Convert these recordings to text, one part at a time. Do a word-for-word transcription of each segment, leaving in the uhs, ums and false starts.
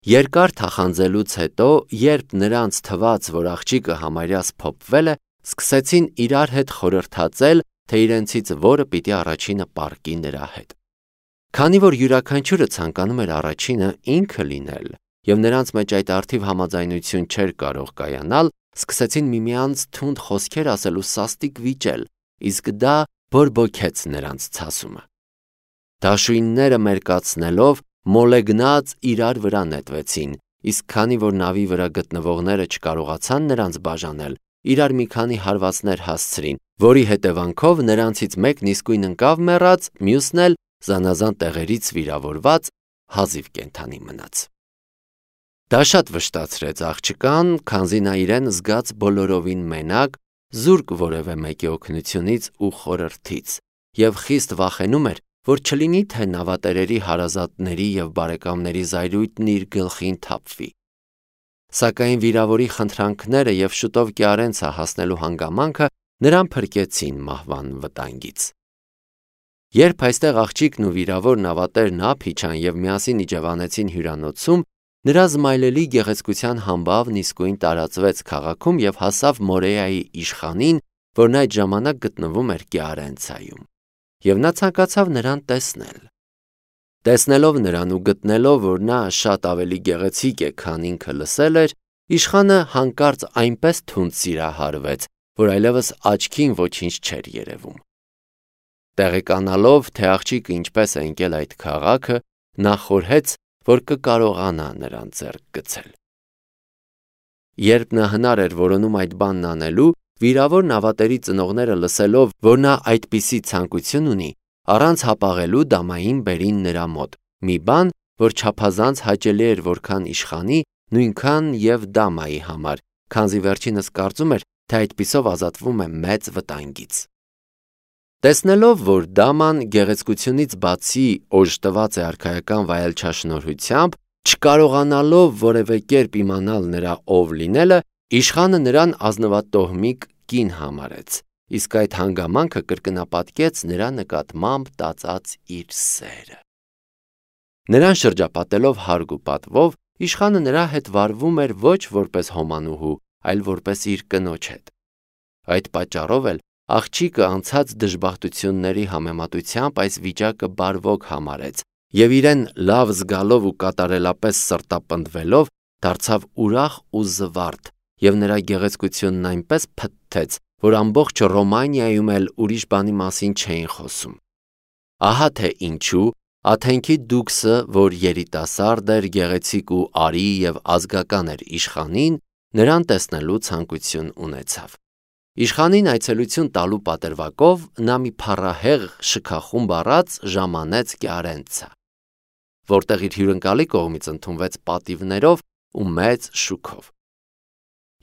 Երկար թախանձելուց հետո, երբ նրանց թվաց, որ աղջիկը համարյա սփոփվել է, սկսեցին իրար հետ խորհրդածել, թե իրենցից որը պիտի առաջինը պառկի նրա հետ։ Քանի որ յուրաքանչյուրը ցանկանում էր առաջինը ինքը լինել, և նրանց մեջ այդ առթիվ համաձայնություն չէր կարող կայանալ, սկսեցին միմյանց թունդ խոսքեր ասել ու սաստիկ վիճել, իսկ դա բորբոքեց նրանց ցասումը։ Դաշույնները մերկացնելով, մոլեգնած իրար վրա նետվեցին, իսկ քանի որ նավի վրա գտնվողները չկարողացան նրանց բաժանել, իրար մի քանի հարվածներ հասցրին, որի հետևանքով նրանցից մեկն իսկույն ընկավ մեռած, մյուսն էլ զանազան տեղերից վիրավորված հազիվ կենդանի մնաց։ Դա շատ վշտացրեց աղջկան, քանզի նա իրեն զգաց բոլորովին մենակ, զուրկ որևէ մեկի օգնությունից ու խորհրդից, և խիստ վախենում էր, որ չլինի թե նավատերերի հարազատների և բարեկամների զայրույթն իր գլխին թափվի։ Սակայն վիրավորի խնդրանքները և շուտով Կիարենցա հասնելու հանգամանքը նրան փրկեցին մահվան վտանգից։ Երբ այստեղ աղջիկն ու վիրավոր նավատերն ափ իջան և միասին իջևանեցին հյուրանոցում, նրա զմայլելի գեղեցկության համբավն իսկույն տարածվեց քաղաքում և հասավ Մորեայի իշխանին, որն այդ ժամանակ գտնվում էր Կիարենցայում, և նա ցանկացավ նրան տեսնել։ Տեսնելով նրան ու գտնելով, որ նա շատ ավելի գեղեցիկ է, քան ինքը լսել էր, իշխանը հանկարծ այնպես թունդ սիրահարվեց, որ այլևս աչքին ոչինչ չէր երևում։ Տեղեկանալով, թե աղջիկը ինչպես է ընկել այդ քաղաքը, նա խորհեց, որ կկարողանա նրան ձեռք գցել։ Երբ նա հնար էր որոնում այդ բանն անելու, վիրավոր նավատերի ծնողները լսելով, որ նա այդպիսի ցանկություն ունի, առանց հապաղելու դամային բերին նրա մոտ, մի բան, որ չափազանց հաճելի էր որքան իշխանի, նույնքան և դամայի համար, քանզի վերջինս կարծում էր, թե այդպիսով ազատվում է մեծ վտանգից։ Տեսնելով, որ դաման գեղեցկությունից բացի օժտված է արքայական վայելչաշնորհությամբ, չկարողանալով որևէ կերպ իմանալ նրա ով լինելը, իշխանը նրան ազնվատոհմիկ կին համարեց, իսկ այդ հանգամանքը կրկնապատկեց նրա նկատմամբ տածած իր սերը։ Նրան շրջապատելով հարգ ու պատվով, իշխանը նրա հետ վարվում էր ոչ որպես հոմանուհու, այլ որպես իր կնոջ հետ։ Այդ պատճառով էլ աղջիկը անցած դժբախտությունների համեմատությամբ այս վիճակը բարվոք համարեց և իրեն լավ զգալով ու կատարելապես սրտապնդվելով դարձավ ուրախ ու զվարթ և նրա գեղեցկությունն այնպես փթթեց, որ ամբողջ Ռոմանիայում էլ ուրիշ բանի մասին չէին խոսում։ Ահա թե ինչու Աթենքի դուքսը, որ երիտասարդ էր, գեղեցիկ ու արի և ազգական էր իշխանին, նրան տեսնելու ցանկություն ունեցավ։ Իշխանին այցելություն տալու պատրվակով նա մի փառահեղ շքախումբ առած ժամանեց Կիարենցա, որտեղ իր հյուրընկալի կողմից ընդունվեց պատիվներով ու մեծ շուքով։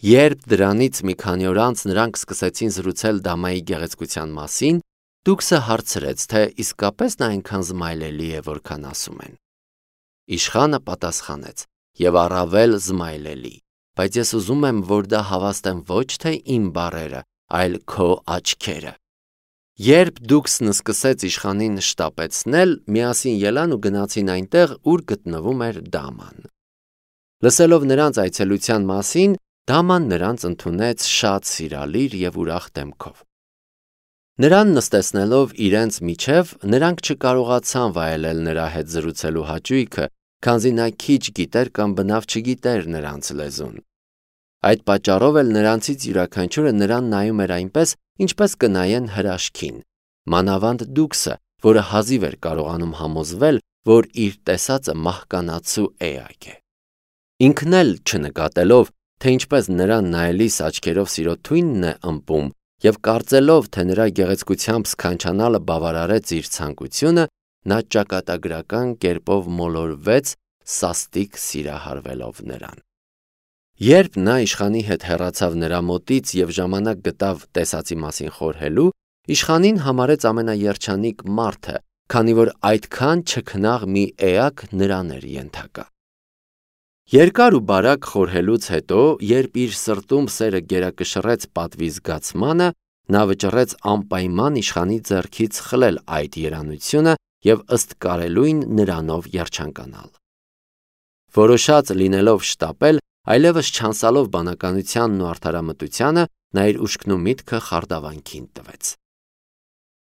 Երբ դրանից մի քանի օր անց նրանք սկսեցին զրուցել դամայի գեղեցկության մասին, դուքսը հարցրեց, թե իսկապես նա այնքան զմայլելի է, որքան ասում են։ Իշխանը պատասխանեց. «Եվ առավել զմայլելի, բայց ես ուզում եմ, որ դա հավաստեն ոչ թե իմ բառերը, այլ քո աչքերը»։ Երբ դուքսն սկսեց իշխանին շտապեցնել, միասին ելան ու գնացին այնտեղ, ուր գտնվում էր դաման։ Լսելով նրանց այցելության մասին, դաման նրանց ընդունեց շատ սիրալիր և ուրախ դեմքով։ Նրան նստեցնելով իրենց միջև, նրանք չկարողացան վայելել նրա հետ զրուցելու հաճույքը, քանզի նա քիչ գիտեր կամ բնավ չգիտեր նրանց լեզուն։ Այդ պատճառով էլ նրանցից յուրաքանչյուրը նրան նայում էր այնպես, ինչպես կնայեն հրաշքին, մանավանդ դուքսը, որը հազիվ էր կարողանում համոզվել, որ իր տեսածը մահկանացու էակ է։ Ինքն էլ չնկատելով, թե ինչպես նրան նայելիս աչքերով սիրո թույնն է ըմպում, և կարծելով, թե նրա գեղեցկությամբ սքանչանալը բավարարեց իր ցանկությունը, նա ճակատագրական կերպով մոլորվեց, սաստիկ սիրահարվելով նրան։ Երբ նա իշխանի հետ հեռացավ նրա մոտից և ժամանակ գտավ տեսածի մասին խորհելու, իշխանին համարեց ամենաերջանիկ մարդը, քանի որ այդքան չքնաղ մի էակ նրան էր ենթակա։ Երկար ու բարակ խորհելուց հետո, երբ իր սրտում սերը գերակշռեց պատվի զգացմանը, նա վճռեց անպայման իշխանի ձեռքից խլել այդ երանությունը և ըստ կարելույն նրանով երջանկանալ։ Որոշած լինելով շտապել, այլևս չանցալով բանականությանն ու արդարամտությանը, նա իր ուշքն ու միտքը խարդավանքին տվեց։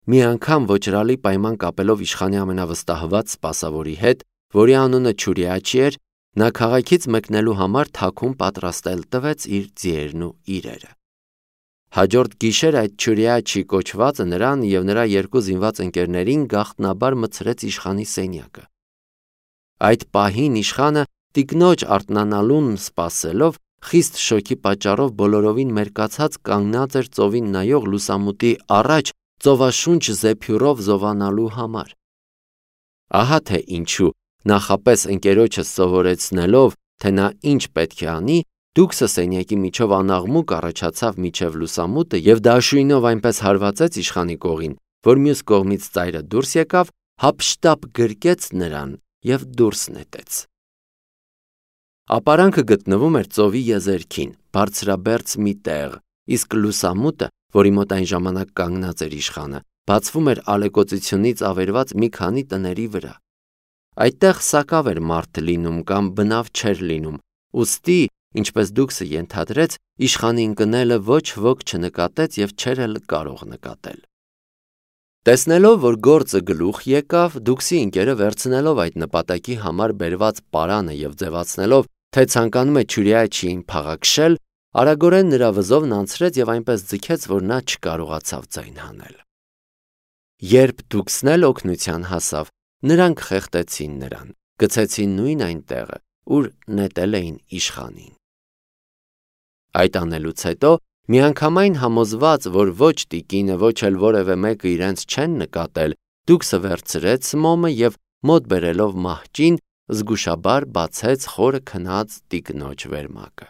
Մի անգամ ոչրալի պայման կապելով իշխանի ամենավստահված սպասավորի հետ, որի անունը Չուրիաչի էր, նա քաղաքից մեկնելու համար թաքուն պատրաստել տվեց իր ձիերն ու իրերը։ Հաջորդ գիշեր այդ Չուրիաչի կոչվածը նրան և նրա երկու զինված ընկերներին գաղտնաբար մտցրեց իշխանի սենյակը։ Այդ պահին իշխանը տիկնոջ արթնանալուն սպասելով, խիստ շոկի պատճառով բոլորովին մերկացած կանգնած էր ծովին նայող լուսամուտի առաջ ծովաշունչ զեփյուռով զովանալու համար։ Ահա թե ինչու, նախապես ընկերոջս սովորեցնելով, թե նա ինչ պետք է անի, դուքսը սենյակի միջով անաղմուկ առաջացավ միջև լուսամուտը և դաշույնով այնպես հարվածեց իշխանի կողին, որ մյուս կողմից ծայրը դուրս եկավ, հափշտապ գրկեց նրան և դուրս նետեց։ Ապարանքը գտնվում էր ծովի եզերքին, բարձրաբերձ մի տեղ, իսկ լուսամուտը, որի մոտ այն ժամանակ կանգնած էր իշխանը, բացվում էր ալեկոծությունից ավերված մի քանի տների վրա։ Այդտեղ սակավ էր մարդ լինում կամ բնավ չէր լինում, ուստի, ինչպես դուքսը ենթադրեց, իշխանի ընկնելը ոչ ոք չնկատեց և չէր էլ կարող նկատել։ Տեսնելով, որ գործը գլուխ եկավ, դուքսի ընկերը վերցնելով այդ նպատակի համար բերված պարանը և ձևացնելով, թե ցանկանում է Չուրիաչիին փաղաքշել, արագորեն նրա վզովն անցրեց և այնպես ձգեց, որ նա չկարողացավ ձայն հանել։ Երբ դուքսն էլ օգնության հասավ, նրանք խեղդեցին նրան, գցեցին նույն այն տեղը, ուր նետել էին իշխանին։ Այդ անելուց հետո, միանգամայն համոզված, որ ոչ տիկինը, ոչ էլ որևէ մեկը իրենց չեն նկատել, դուքսը վերցրեց մոմը և մոտ բերելով մահճին, զգուշաբար բացեց խորը քնած տիկնոջ վերմակը։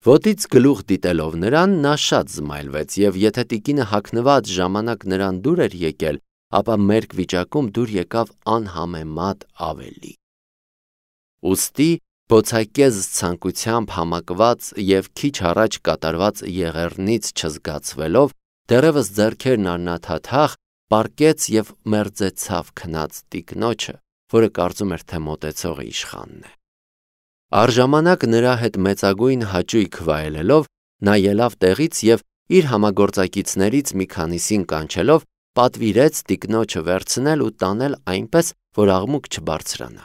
Ոտից գլուխ դիտելով նրան, նա շատ զմայլվեց և եթե տիկինը հագնված ժամանակ նրան դուր էր եկել, ապա մերկ վիճակում դուր եկավ անհամեմատ ավելի։ Ուստի բոցակեզ ցանկությամբ համակված և քիչ առաջ կատարված եղեռնից չզգացվելով, դեռևս ձեռքերն առնաթաթախ պառկեց և մերձեցավ քնած տիկնոջը, որը կարծում էր, թե մոտեցողը իշխանն է։ Առժամանակ նրա հետ մեծագույն հաճույք վայելելով, նա ելավ տեղից և իր համագործակիցներից մի քանիսին կանչելով, պատվիրեց տիկնոջը վերցնել ու տանել այնպես, որ աղմուկ չբարձրանա։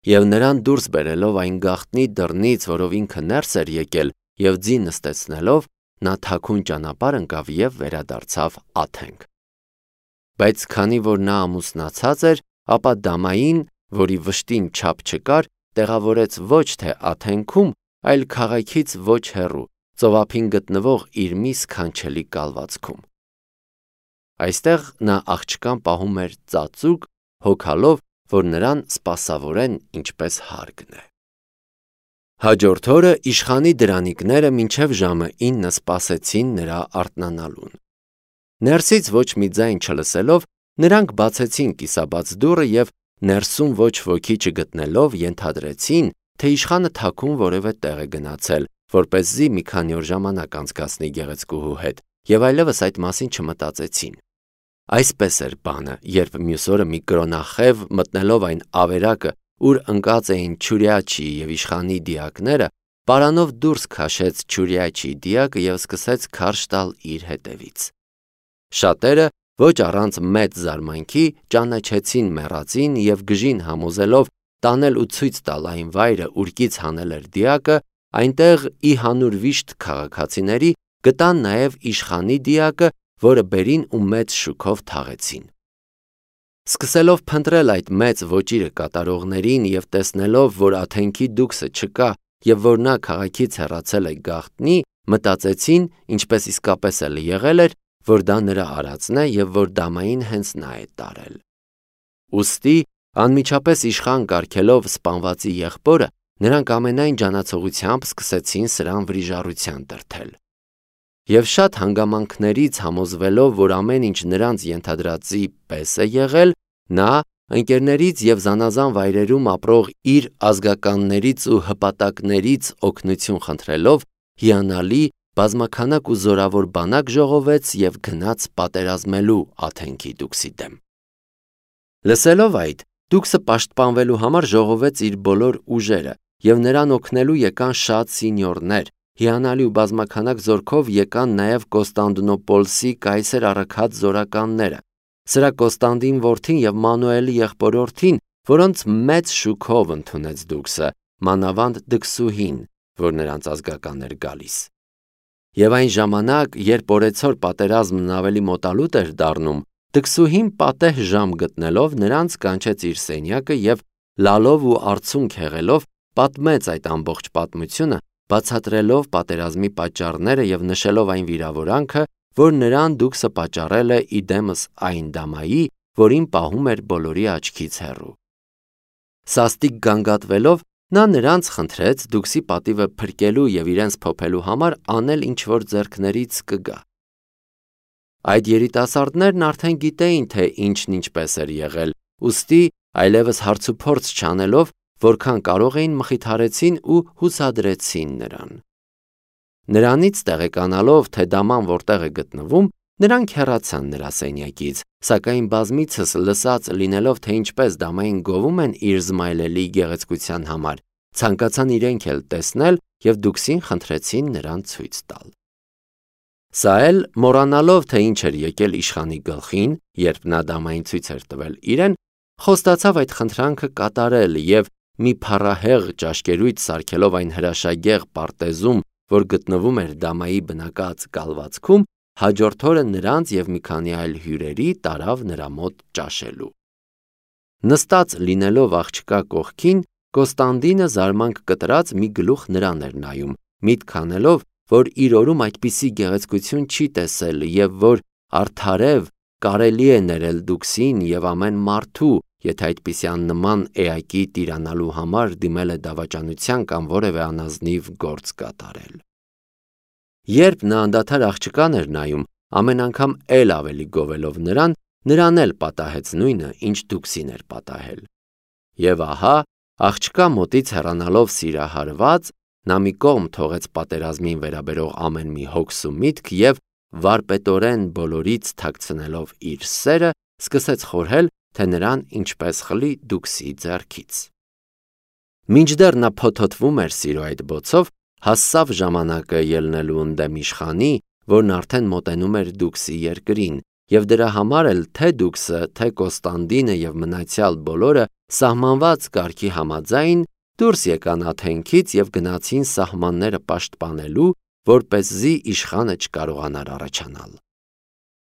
Եվ նրան դուրս բերելով այն գաղտնի դռնից, որով ինքը ներս էր եկել, և ձի նստեցնելով, նա թաքուն ճանապարհ ընկավ և վերադարձավ Աթենք։ Բայց քանի որ նա ամուսնացած էր, ապա դամային, որի վշտին չափ չկար, տեղավորեց ոչ թե Աթենքում, այլ քաղաքից ոչ հեռու, ծովափին գտնվող իր մի սքանչելի կալվածքում։ Այստեղ նա աղջկան պահում էր ծածուկ, հոգալով, որ նրան սպասավորեն ինչպես հարկն է։ Հաջորդ օրը իշխանի դրանիկները մինչև ժամը ինը սպասեցին նրա արթնանալուն։ Ներսից ոչ մի ձայն չլսելով, նրանք բացեցին կիսաբաց դուռը և ներսում ոչ ոքի չգտնելով, ենթադրեցին, թե իշխանը թաքուն որևէ տեղ է գնացել, որպեսզի մի քանի օր ժամանակ անցկացնի գեղեցկուհու հետ, և այլևս այդ մասին չմտածեցին։ Այսպես էր բանը, երբ մյուս օրը մի կրոնախև, մտնելով այն ավերակը, ուր ընկած էին Չուրիաչիի և իշխանի դիակները, պարանով դուրս քաշեց Չուրիաչիի դիակը և սկսեց քարշ տալ իր հետևից։ Շատերը, ոչ առանց մեծ զարմանքի, ճանաչեցին մեռածին և գժին համոզելով տանել ու ցույց տալ այն վայրը, ուր կից հանել էր դիակը, այնտեղ ի հանուր վիշտ քաղաքացիների գտան նաև իշխանի դիակը, որը բերին ու մեծ շուքով թաղեցին։ Սկսելով փնտրել այդ մեծ ոճիրը կատարողներին և տեսնելով, որ Աթենքի դուքսը չկա և որ նա քաղաքից հեռացել է գաղտնի, մտածեցին, ինչպես իսկապես էլ եղել էր, որ դա նրա արածն է և որ դամային հենց նա է տարել։ Ուստի, անմիջապես իշխան կարգելով սպանվածի եղբորը, նրանք ամենայն ջանացողությամբ սկսեցին սրան վրիժառության դրդել։ Եվ շատ հանգամանքներից համոզվելով, որ ամեն ինչ նրանց ենթադրածի պես է եղել, նա, ընկերներից և զանազան վայրերում ապրող իր ազգականներից ու հպատակներից օգնություն խնդրելով, հիանալի, բազմաքանակ ու զորավոր բանակ ժողովեց և գնաց պատերազմելու Աթենքի դուքսի դեմ։ Լսելով այդ, Դուքսը պաշտպանվելու համար ժողովեց իր բոլոր ուժերը, եւ նրան օգնելու եկան շատ սինյորներ, հիանալի ու բազմաքանակ զորքով եկան նաև Կոստանդնոպոլսի կայսեր առաքած զորականները։ Սրա Կոստանդին որդին եւ Մանուելի եղբորորդին, որոնց մեծ շուքով ընդունեց Դուքսը, մանավանդ Դքսուհին, որ նրանց ազգական էր գալիս։ Եվ այն ժամանակ, երբ օրեցօր պատերազմն ավելի մոտալուտ էր դառնում, Դքսուհին պատեհ ժամ գտնելով նրանց կանչեց իր սենյակը եւ լալով ու արցունք հեղելով պատմեց այդ ամբողջ պատմությունը, բացատրելով պատերազմի պատճառները եւ նշելով այն վիրավորանքը, որ նրան Դուքսը պատճառել է իդեմս այն դամայի, որին պահում էր բոլորի աչքից հեռու։ Սաստիկ գանգատվելով, նա նրանց խնդրեց Դուքսի պատիվը փրկելու եւ իրենց փոփելու համար անել ինչ-որ ձեռքներից կգա։ Այդ երիտասարդներն արդեն գիտեին, թե ինչն ինչպես էր եղել, ուստի այլևս հարցուփորձ չանելով, որքան կարող էին մխիթարեցին ու հուսադրեցին նրան։ Նրանից տեղեկանալով, թե դաման որտեղ է գտնվում, նրանք հեռացան նրա սենյակից, սակայն բազմիցս լսած լինելով, թե ինչպես դամային գովում են իր զմայլելի գեղեցկության համար, ցանկացան իրենք էլ տեսնել եւ Դուքսին խնդրեցին նրան ցույց տալ։ Սա էլ մոռանալով, թե ինչ էր եկել իշխանի գլխին, երբ նա դամային ցույց էր տվել իրեն, խոստացավ այդ խնդրանքը կատարել եւ մի փառահեղ ճաշկերույթ սարքելով այն հրաշագեղ պարտեզում, որ գտնվում էր դամայի բնակած կալվածքում, հաջորդ օրը նրանց եւ մի քանի այլ հյուրերի տարավ նրա մոտ ճաշելու։ Նստած լինելով աղջկա կողքին, Կոստանդինը զարմանք կտրած մի գլուխ նրան էր նայում, միտք անելով, որ իր օրում այդպիսի գեղեցկություն չի տեսել եւ որ արդարև կարելի է ներել Դուքսին եւ ամեն մարդու, եթե այդպիսի աննման էակի տիրանալու համար դիմել է դավաճանության կամ որևէ անազնիվ գործ կատարել։ Երբ նա անդադար աղջկան էր նայում, ամեն անգամ էլ ավելի գովելով նրան, նրան էլ պատահեց նույնը, ինչ Դուքսին էր պատահել։ Եվ ահա, աղջկա մոտից հեռանալով սիրահարված, նա մի կողմ թողեց պատերազմին վերաբերող ամեն մի հոգս ու միտք եւ վարպետորեն բոլորից թաքցնելով իր սերը, սկսեց խորհել, թե նրան ինչպես խլի Դուքսի ձեռքից։ Մինչդեռ նա փոթոթվում էր սիրո այդ բոցով, հասավ ժամանակը ելնելու ընդդեմ իշխանի, որն արդեն մոտենում էր Դուքսի երկրին, եւ դրա համար էլ թե Դուքսը, թե Կոստանդինը եւ մնացյալ բոլորը սահմանված կարգի համաձայն դուրս եկան Աթենքից եւ գնացին սահմանները պաշտպանելու, որպեսզի իշխանը չկարողանար առաջանալ։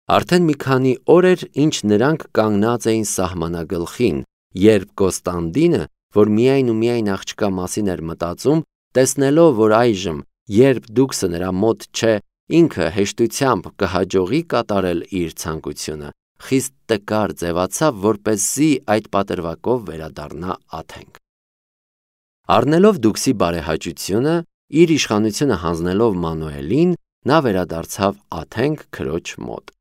Արդեն մի քանի օր էր, ինչ նրանք կանգնած էին սահմանագլխին, երբ Կոստանդինը, որ միայն ու միայն աղջկա մասին էր մտածում, տեսնելով, որ այժմ, երբ Դուքսը նրա մոտ չէ, ինքը հեշտությամբ կհաջողի կատարել իր ցանկությունը, խիստ տկար ձևացավ, որպեսզի այդ պատրվակով վերադառնա Աթենք։ Առնելով Դուքսի բարեհաճությունը, իր իշխանությունը հանձնելով Մանուելին, նա վերադարձավ Աթենք քրոջ մոտ։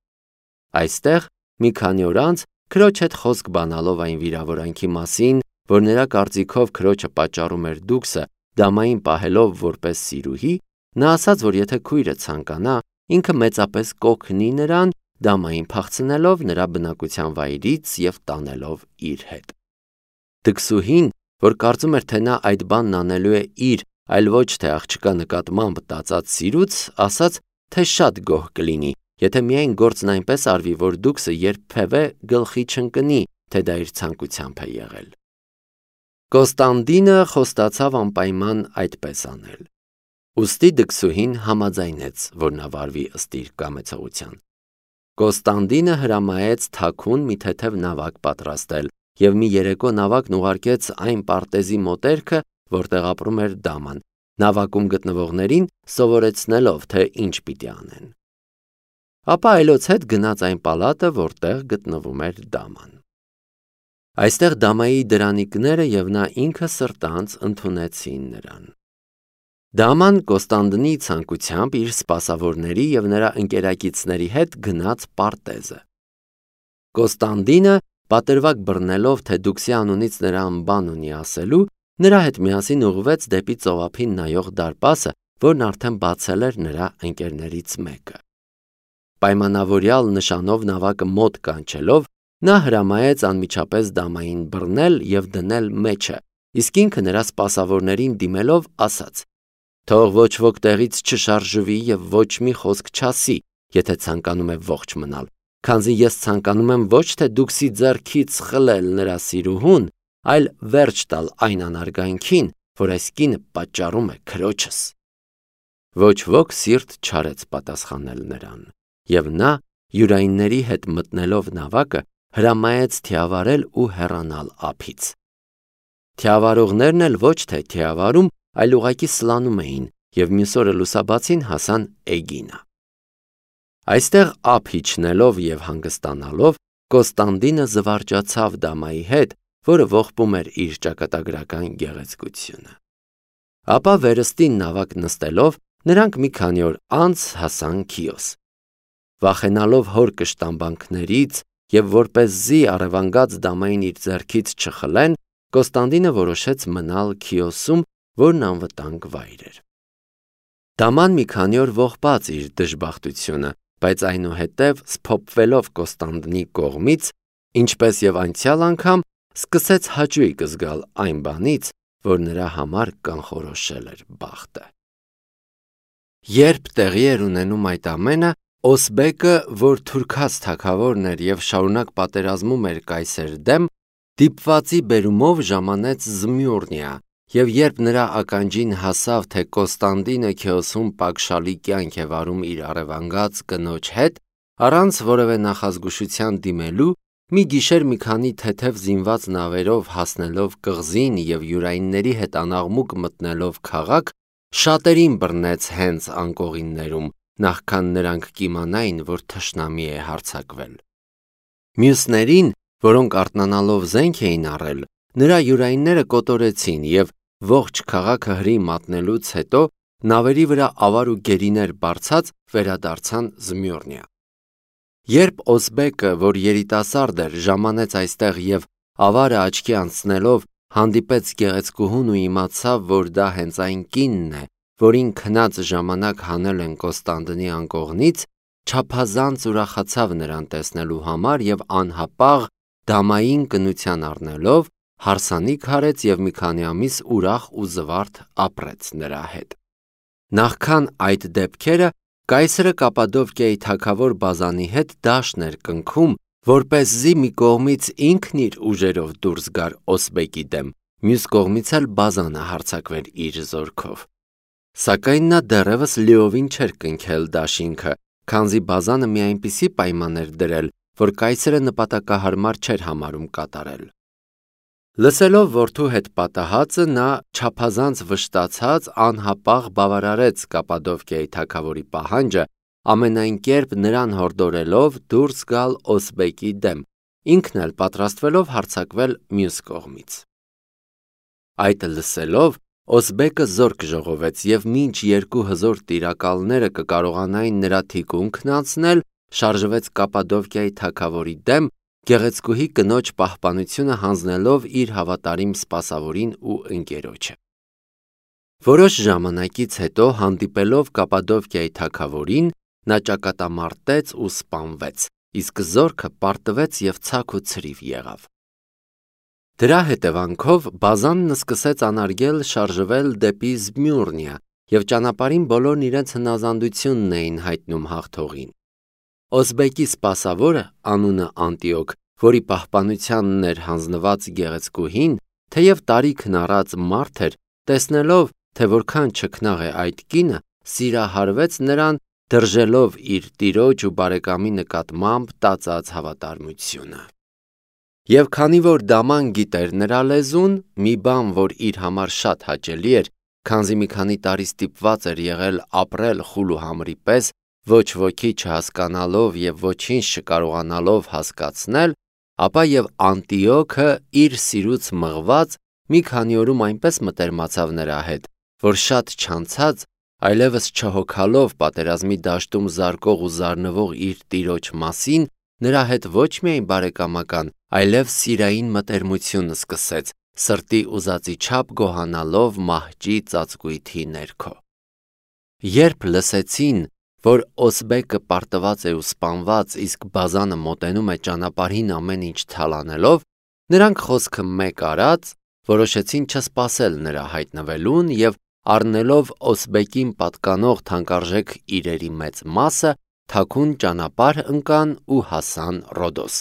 Այստեղ մի քանի օր անց քրոջ հետ խոսք բանալով այն վիրավորանքի մասին, որ նրա կարծիքով քրոջը պատճառում էր Դուքսը, դամային պահելով որպես սիրուհի, նա ասաց, որ եթե քույրը ցանկանա, ինքը մեծապես կօգնի նրան, դամային փախցնելով նրա բնակության վայրից եւ տանելով իր հետ։ Դքսուհին, որ կարծում էր, թե նա այդ բանն անելու է իր, այլ ոչ թե աղջկա նկատմամբ տածած սիրուց, ասաց, թե շատ գոհ կլինի, եթե միայն գործն այնպես արվի, որ Դուքսը երբևէ գլխի չընկնի, թե դա իր ցանկությամբ է եղել։ Կոստանդինը խոստացավ անպայման այդպես անել։ Ուստի Դքսուհին համաձայնեց, որ նա վարվի ըստ իր կամեցողության։ Կոստանդինը հրամայեց թաքուն մի թեթև նավակ պատրաստել եւ մի երեկո նավակն ուղարկեց այն պարտեզի մոտերքը, որտեղ ապրում էր դաման, նավակում գտնվողներին սովորեցնելով, թե ինչ պիտի անեն։ Ապա այլոց հետ գնաց այն պալատը, որտեղ գտնվում էր դաման։ Այստեղ դամայի դրանիկները եւ նա ինքը սրտանց ընդունեցին նրան։ Դաման Կոստանդինի ցանկությամբ իր սպասավորների եւ նրա ընկերակիցների հետ գնաց պարտեզը։ Կոստանդինը, պատրվակ բռնելով, թե Դուքսի անունից նրան բան ունի ասելու, նրա հետ միասին ուղղվեց դեպի ծովափին նայող դարպասը, որն արդեն բացել էր նրա ընկերներից մեկը։ Պայմանավորյալ նշանով նավակը մոտ կանչելով, Նա հրամայեց անմիջապես դամային բռնել և դնել մեջը, իսկ ինքը նրա սպասավորներին դիմելով ասաց. «Թող ոչ ոք տեղից չշարժվի և ոչ մի խոսք չասի, եթե ցանկանում է ողջ մնալ, քանզի ես ցանկանում եմ ոչ թե դուքսի ձեռքից խլել նրա սիրուհուն, այլ վերջ տալ այն անարգանքին, որ այս կինը պատճառում է քրոջս»։ Ոչ ոք սիրտ չարեց պատասխանել նրան, և նա, յուրայինների հետ մտնելով նավակը, հրամայեց թիավարել ու հեռանալ ափից։ Թիավարողներն էլ ոչ թե թիավարում, այլ ուղղակի սլանում էին և մյուս օրը լուսաբացին հասան Էգինա։ Այստեղ ափ իջնելով և հանգստանալով Կոստանդինը զվարճացավ դամայի հետ, որը ողբում էր իր ճակատագրական գեղեցկությունը։ Ապա վերստին նավակ նստելով նրանք մի քանի օր անց հասան Քիոս։ Վախենալով հոր կշտամբանքներից և որպեսզի առևանգած դամային իր ձեռքից չխլեն, Կոստանդինը որոշեց մնալ Քիոսում, որն անվտանգ վայր էր։ Դաման մի քանի օր ողբաց իր դժբախտությունը, բայց այնուհետև սփոփվելով Կոստանդինի կողմից, ինչպես և անցյալ անգամ, սկսեց հաճույք զգալ այն բանից, որ նրա համար կանխորոշել էր բախտը։ Երբ տեղի էր ունենում այդ ամենը, Օսբեկը, որ թուրքաց թագավորն էր և շարունակ պատերազմում էր կայսեր դեմ, դիպվածի բերումով ժամանեց Զմյուռնիա, և երբ նրա ականջին հասավ, թե Կոստանդինը Քիոսում պակշալի կյանք է վարում իր առևանգած կնոջ հետ, առանց որևէ նախազգուշության դիմելու, մի գիշեր մի քանի թեթև զինված նավերով հասնելով կղզին և յուրայինների հետ անաղմուկ մտնելով քաղաք, շատերին բռնեց հենց անկողիններում, նախքան նրանք կիմանային, որ թշնամի է հարձակվել։ Մյուսներին, որոնք արթնանալով զենք էին առել, նրա յուրայինները կոտորեցին և ողջ քաղաքը հրի մատնելուց հետո նավերի վրա ավար ու գերիներ բարձած վերադարձան Զմյուռնիա։ Երբ Օսբեկը, որ երիտասարդ էր, ժամանեց այստեղ և ավարը աչքի անցնելով հանդիպեց գեղեցկուհուն ու իմացավ, որ դա հենց այն կինն է, որին քնած ժամանակ հանել են Կոստանդինի անկողնից, չափազանց ուրախացավ նրան տեսնելու համար և անհապաղ դամային կնության առնելով հարսանիք արեց և մի քանի ամիս ուրախ ու զվարթ ապրեց նրա հետ։ Նախքան այդ դեպքերը կայսրը Կապադովկիայի թագավոր Բազանի հետ դաշտ էր կնքում, որպեսզի մի կողմից ինքն իր ուժերով դուրս գար Օսբեկի դեմ, մյուս կողմից էլ Բազանը հարձակվեր իր զորքով։ Սակայն նա դեռևս լիովին չէր կնքել դաշինքը, քանզի Բազանը մի այնպիսի պայման էր դրել, որ կայսրը նպատակահարմար չէր համարում կատարել։ Լսելով որդու հետ պատահածը, նա չափազանց վշտացած անհապաղ բավարարեց Կապադովկիայի թագավորի պահանջը, ամենայն կերպ նրան հորդորելով դուրս գալ Օսբեկի դեմ, ինքն էլ պատրաստվելով հարձակվել մյուս կողմից։ Այդ լսելով Օսբեկը զորք ժողովեց և մինչ երկու հզոր տիրակալները կկարողանային նրա թիկունքն անցնել, շարժվեց Կապադովկիայի թագավորի դեմ, գեղեցկուհի կնոջ պահպանությունը հանձնելով իր հավատարիմ սպասավորին ու ընկերոջը։ Որոշ ժամանակից հետո հանդիպելով Կապադովկիայի թագավորին, նա ճակատամարտեց ու սպանվեց, իսկ զորքը պարտվեց և ցաք ու ցրիվ եղավ։ Դրա հետևանքով Բազանն սկսեց անարգել շարժվել դեպի Զմյուռնիա, և ճանապարհին բոլորն իրենց հնազանդությունն էին հայտնում հաղթողին։ Օսբեկի սպասավորը, անունը Անտիոք, որի պահպանությանն էր հանձնված գեղեցկուհին, թեև տարիքն առած մարդ էր, տեսնելով, թե որքան չքնաղ է այդ կինը, սիրահարվեց նրան, դրժելով իր տիրոջ ու բարեկամի նկատմամբ տածած հավատարմությունը։ Եվ քանի որ դաման գիտեր նրա լեզուն, մի բան, որ իր համար շատ հաճելի էր, քանզի մի քանի տարի ստիպված էր եղել ապրել խուլ ու համրի պես, ոչ ոքի չհասկանալով և ոչինչ չկարողանալով հասկացնել, ապա և Անտիոքը իր սիրուց մղված մի քանի օրում այնպես մտերմացավ նրա հետ, որ շատ չանցած, այլևս չհոգալով պատերազմի դաշտում զարկող ու զարնվող իր տիրոջ մասին, նրա հետ ոչ միայն բարեկամական, այլև սիրային մտերմություն սկսեց, սրտի ուզածի չափ գոհանալով մահճի ծածկույթի ներքո։ Երբ լսեցին, որ Օսբեկը պարտված է ու սպանված, իսկ Բազանը մոտենում է ճանապարհին ամեն ինչ թալանելով, նրանք խոսքը մեկ արած որոշեցին չսպասել նրա հայտնվելուն և առնելով Օսբեկին պատկանող թանկարժեք իրերի մեծ մասը, թաքուն ճանապարհ ընկան ու հասան Ռոդոս։